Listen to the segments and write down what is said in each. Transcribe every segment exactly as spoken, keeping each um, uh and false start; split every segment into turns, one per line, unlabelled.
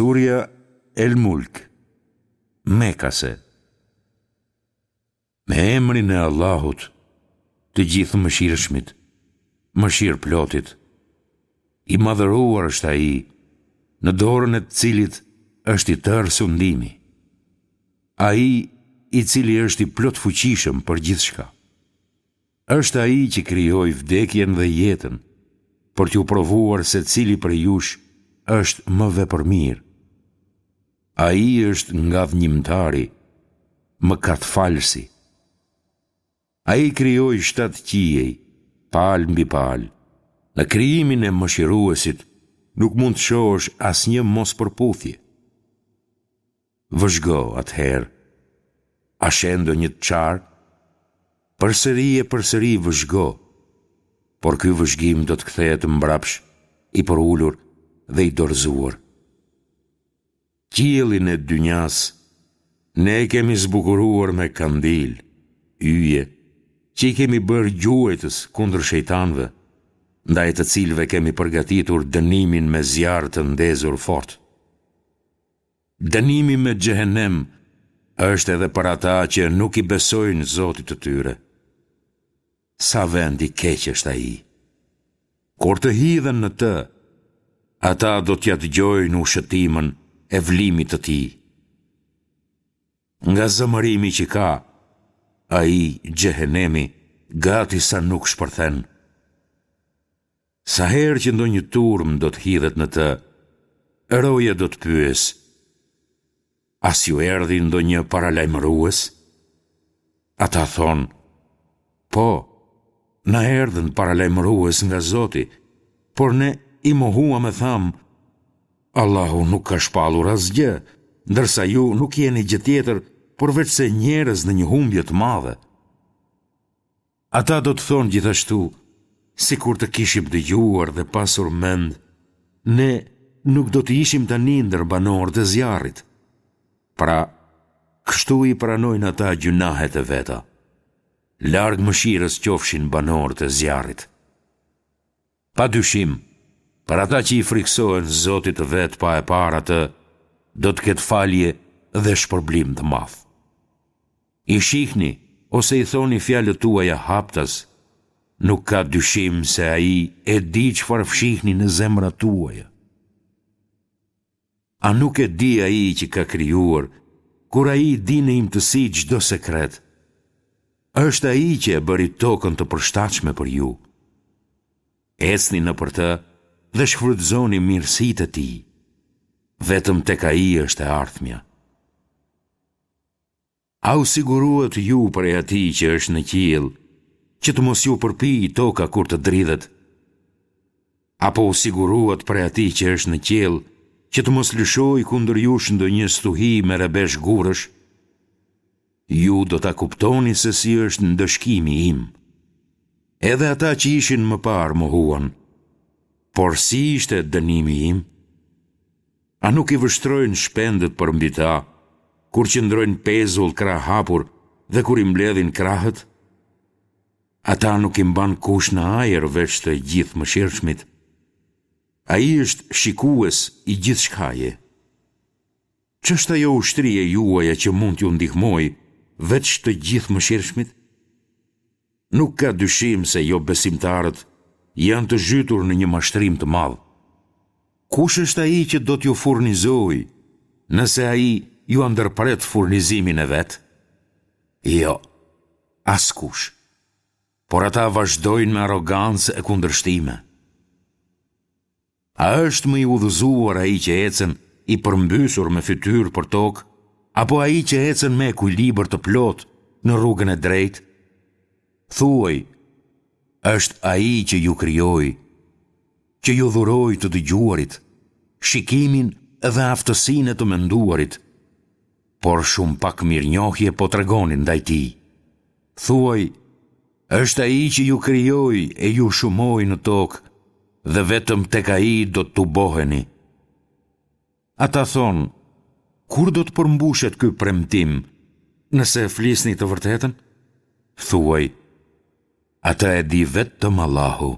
Surja El Mulk, Mekase. Me emrin e Allahut, të Gjithëmëshirshmit, Mëshirëplotit. I madhëruar është Ai, në dorën e të cilit është i tërë sundimi. Ai i cili është i plotfuqishëm për gjithçka. Është Ai që krijoi vdekjen dhe jetën, për t'ju provuar se cili prej jush është më vepërmirë. Ai është Ngadhnjimtari, Mëkatfalësi. Ai krijoi shtatë qiej, palë mbi palë. Në krijimin e Mëshiruesit nuk mund të shohësh asnjë mospërputhje. Vëzhgo atëherë, a sheh ndonjë të çarë? Përsëri e përsëri vëzhgo, por ky vëzhgim do të kthehet mbrapsht, i përulur dhe i dorëzuar. Qiellin e dynjasë ne e kemi zbukuruar me kandilë, yje, që i kemi bërë gjuajtës kundër shejtanëve, ndaj të cilëve kemi përgatitur dënimin me zjarr të ndezur fort. Dënimi me xhehenem është edhe për ata që nuk i besojnë Zotit të tyre. Sa vend i keq është ai! Kur të hidhen në të, ata do t'ia dëgjojnë ushëtimën e vlimit të tij. Nga zemërimi që ka, ai, xhehenemi, gati sa nuk shpërthen. Sa herë që ndonjë turmë do të hidhet në të, roja do të pyesë, A s'ju erdhi ndonjë paralajmërues? Ata thonë, Po, na erdhën paralajmërues nga Zoti, por ne i mohuam e thamë, Allahu nuk ka shpallur asgjë, ndërsa ju nuk jeni gjë tjetër përveçse njerëz në një humbje të madhe. Ata do të thonë gjithashtu, sikur të kishim dëgjuar dhe pasur mend, ne nuk do të ishim tani ndër banorët e zjarrit. Pra, kështu i pranojnë ata gjynahet e veta. Larg mëshirës qofshin banorët e zjarrit. Pa dyshim, për ata që i frikësohen Zotit të vet pa e parë atë, do të ketë falje dhe shpërblim të madh. I shihni ose i thoni fjalët tuaja haptas, nuk ka dyshim se Ai e di çfarë fshihni në zemrat tuaja. A nuk e di Ai që ka krijuar, kur Ai di në imtësi çdo sekret? Është Ai që e bëri tokën të përshtatshme për ju. Ecni nëpër të dhe shfrytëzoni mirësitë e Tij. Vetëm tek Ai është e ardhmja. A u siguruat ju prej atij që është në qiell, që të mos ju përpijë toka kur të dridhet? Apo u siguruat prej atij që është në qiell, që të mos lëshojë kundër jush ndonjë stuhi me rrebesh gurësh? Ju do ta kuptoni se si është ndëshkimi im. Edhe ata që ishin më parë mohuan, por si ishte dënimi im? A nuk i vështrojnë shpendët përmbi ta, kur qëndrojnë pezull krahëhapur dhe kur i mbledhin krahët? Ata nuk i mban kush në ajër veç të Gjithëmëshirshmit. Ai është shikues i gjithçkaje. Ç'është ajo ushtri e juaja që mund t'ju ndihmojë veç të Gjithëmëshirshmit? Nuk ka dyshim se jobesimtarët janë të zhytur në një mashtrim të madh. Kush është ai që do t'ju furnizojë nëse ai jua ndërpret furnizimin e vet? Jo, askush. Por ata vazhdojnë me arrogancë e kundërshtime. A është më i udhëzuar ai që ecën i përmbysur me fytyrë për tokë, apo ai që ecën me ekuilibër të plotë në rrugën e drejtë? Thuaj, është ai që ju krijoi, që ju dhuroi të dëgjuarit, shikimin dhe aftësinë e të menduarit, por shumë pak mirënjohje po tregoni ndaj tij. Thuaj, është ai që ju krijoi e ju shumoi në tokë dhe vetëm tek ai do të tuboheni. Ata thonë, kur do të përmbushet ky premtim, nëse flisni të vërtetën? Thuaj, atë e di vetëm Allahu,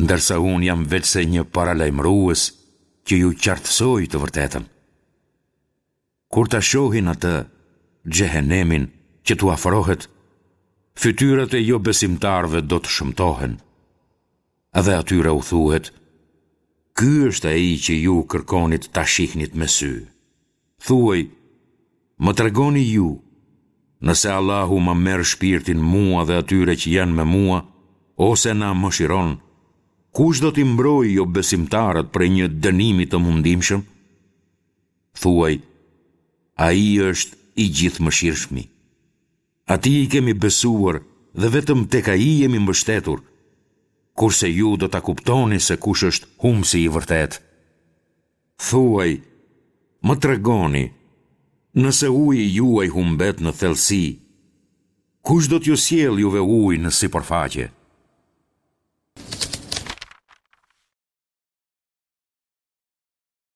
ndërsa unë jam veçse një paralajmërues që ju qartësoi të vërtetën. Kur ta shohin atë, xhehenemin, që t'u afrohet, fytyrat e jobesimtarëve do të shëmtohen. Dhe atyre u thuhet, Ky është ai që ju kërkonit ta shihnit me sy. Thuaj, Më tregoni ju, nëse Allahu ma merr shpirtin mua dhe atyre që janë me mua, ose na mëshiron, kush do t'i mbrojë jobesimtarët prej një dënimi të mundimshëm? Thuaj, Ai është i Gjithëmëshirshmi. Atij i kemi besuar dhe vetëm tek Ai jemi mbështetur, kurse ju do ta kuptoni se kush është humbësi i vërtetë. Thuaj, Më tregoni, nëse uji juaj humbet në thellësi, kush do t'ju sjellë juve ujë në sipërfaqe?